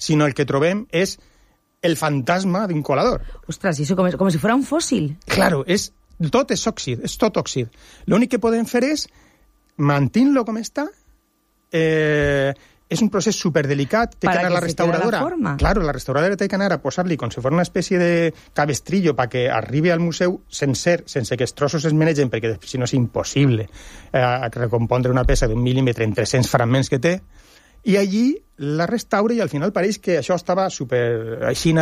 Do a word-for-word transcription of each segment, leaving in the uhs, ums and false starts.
sinó el que trobem és el fantasma d'un colador. Ostres, i això com, com si fuera un fòssil. Claro, és, tot és òxid, és tot òxid. L'únic que podem fer és mantenir-lo com està. Eh, és un procés superdelicat. Té que anar la restauradora. La claro, la restauradora té que anar a posar-li com si fos una espècie de cabestrillo perquè arribi al museu sencer, sense que els trossos es menegen, perquè si no és impossible eh, recompondre una peça d'un mil·límetre en tres-cents fragments que té. I allí la restaura i al final pareix que això estava super així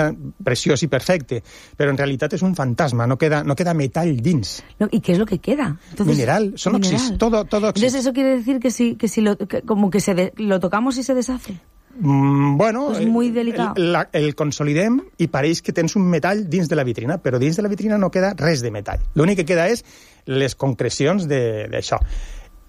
preciós i perfecte, però en realitat és un fantasma, no queda, no queda metall dins. No, ¿y qué es lo que queda? Entonces, mineral, son óxidos, todo, todo óxido. Entonces eso quiere decir que si, que si lo, que, como que se de, lo tocamos y se deshace. Mm, bueno, és muy delicado. El, la, el consolidem i pareix que tens un metall dins de la vitrina, però dins de la vitrina no queda res de metall. L'únic que queda és les concrecions d'això.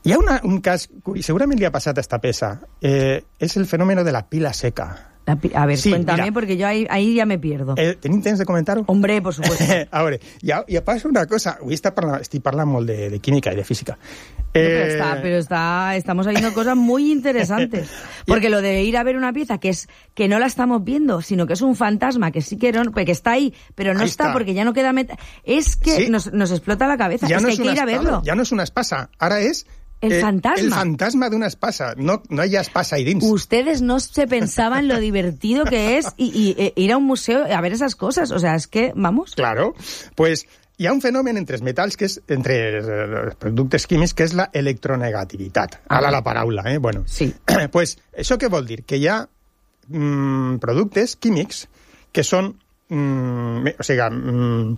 Hi ha una, un cas, segurament li ha passat a esta peça, eh, és el fenómeno de la pila seca. La pi a ver, sí, cuéntame, mira, porque yo ahí, ahí ya me pierdo. Eh, ¿Tenim temps de comentar-ho? Hombre, por supuesto. A veure, ja, ja passa una cosa, avui està parlant, estic parlant molt de, de química i de física. No, pero está, pero está, estamos viendo cosas muy interesantes. Porque lo de ir a ver una pieza que es que no la estamos viendo, sino que es un fantasma, que sí que, no, que está ahí, pero no ahí está, está porque ya no queda meta. Es que sí, nos, nos explota la cabeza, ya es no que hay que ir a verlo. Ja no és una espasa, ara és el eh, fantasma. El fantasma de una espasa. No, no hay espasa ahí dins. Ustedes no se pensaban lo divertido que es y, y, e, ir a un museo a ver esas cosas. O sea, es que, vamos... Claro. Pues hi ha un fenomen entre els metalls, que és, entre els productes químics, que és la electronegativitat. Ah. Ala la paraula, eh? Bueno. Sí. Pues això què vol dir? Que hi ha mm, productes químics que són... Mm, o sigui, mm,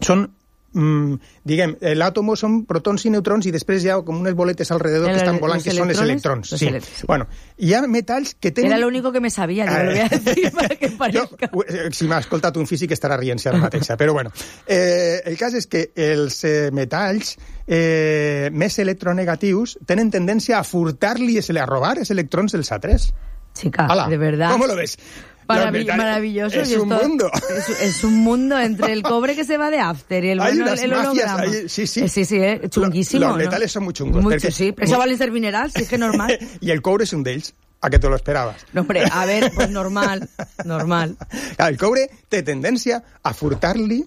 són... Mm, diguem, l'àtomo són protons i neutrons i després hi ha com unes boletes alrededor el, que estan volant, que són els electrons. Sí. Elect sí. Bueno, hi ha metalls que tenen... Era lo único que me sabía, yo lo voy a decir para que parezca. Jo, si m'ha escoltat un físic estarà rient-se ara mateixa, però bueno. Eh, el cas és que els eh, metalls eh, més electronegatius tenen tendència a furtar-li, a robar els electrons dels altres. Chica, Ala, de verdad. ¿Cómo lo ves? Marav maravilloso. Es un esto, mundo. Es, es un mundo entre el cobre que se va de after y el, bueno, el holograma. Hay, sí, sí. Eh, sí, sí, eh, chunguísimo. Los metales ¿no? son muy chungos. Mucho, porque, sí. Eso vale ser mineral, sí, es que normal. Y el cobre es un d'ells. A que te lo esperabas. No, hombre, a ver, pues normal, normal. El cobre té tendència a furtar-li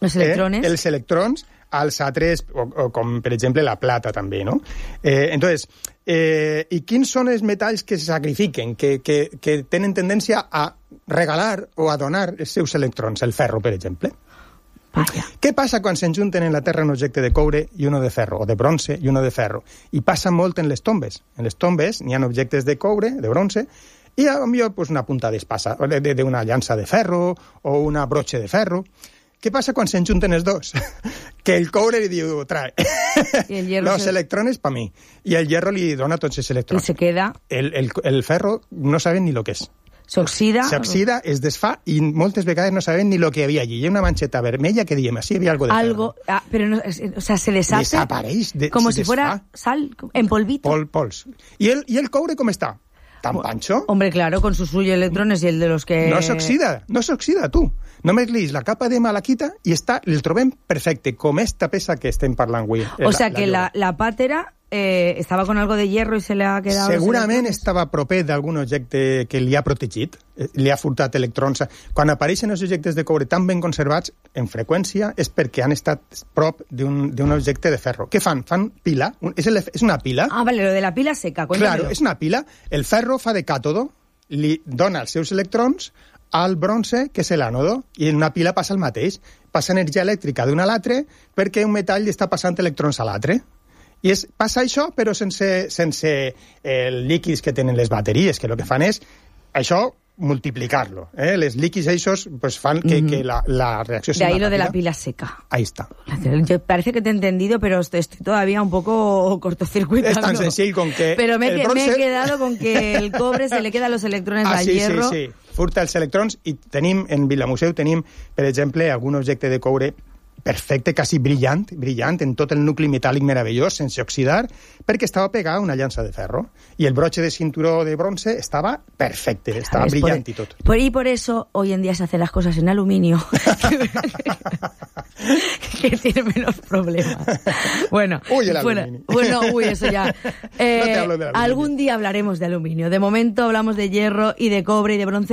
els electrones, eh, els electrons als altres, o, o com per exemple la plata també, no? Eh, entonces, eh, i quins són els metalls que se sacrifiquen, que, que, que tenen tendència a regalar o a donar els seus electrons? El ferro, per exemple. Vaya. Què passa quan s'enjunten en la Terra un objecte de coure i uno de ferro, o de bronze i uno de ferro? I passa molt en les tombes. En les tombes n'hi ha objectes de coure, de bronze, i a millor pues, una punta d'espasa, d'una llança de ferro o una broche de ferro. Què passa quan s'enjunten els dos? Que el coure li diu, trae, los se... electrones para mí, i el hierro li dona tots els electrons. I se queda... El, el, el ferro no saben ni lo que és. S'oxida... S'oxida, es desfà i moltes vegades no saben ni lo que havia allí. Hi ha una manxeta vermella que diem, así había algo de algo, ferro. Ah, pero no, o sea, se deshace... Desapareix. De, como si desfà. Fuera sal, en polvito. Pol, pols. I el, I el coure com està? ¿Tan pancho? Hombre, claro, con sus suyos electrones y el de los que... No s'oxida, no s'oxida, tu. Només li la capa de malaquita i està, el trobem perfecte, com esta peça que estem parlant avui. O sea, la, que la, la pàtera eh, estava con algo de hierro i se le ha quedado... Segurament estava proper d'algun objecte que li ha protegit, li ha furtat electrons. Quan apareixen els objectes de coure tan ben conservats, en freqüència, és perquè han estat prop d'un objecte de ferro. Què fan? Fan pila. És, el, és una pila. Ah, vale, lo de la pila seca. Cuéntamelo. Claro, és una pila. El ferro fa de càtodo, li dona els seus electrons al bronze, que és l'ànodo, i en una pila passa el mateix. Passa energia elèctrica d'un a l'altre perquè un metall està passant electrons a l'altre. I és, passa això, però sense, sense els líquids que tenen les bateries, que el que fan és això multiplicar-lo. ¿eh? Les líquids esos pues, fan que, mm-hmm. que la, la reacció sea de ahí lo rápida. De la pila seca. Ahí está. Yo parece que te he entendido, pero estoy todavía un poco cortocircuitando. Es tan sencillo con que... Pero me, el bronce... me he quedado con que el cobre se le quedan los electrones ah, al sí, hierro. Sí, sí, furta els electrons i tenim, en Vilamuseu tenim, per exemple, algun objecte de coure perfecte, quasi brillant, brillant, en tot el nucli metàl·lic meravellós, sense oxidar, perquè estava pegat a una llança de ferro. I el broche de cinturó de bronce estava perfecte, estava es brillant por, i tot. Por, y por eso hoy en día se hacen las cosas en aluminio, que tiene menos problemas. Bueno, uy, el bueno, aluminio. Bueno, uy, eso ya. Eh, no te hablo de aluminio. Algún día hablaremos de aluminio. De momento hablamos de hierro y de cobre y de bronce.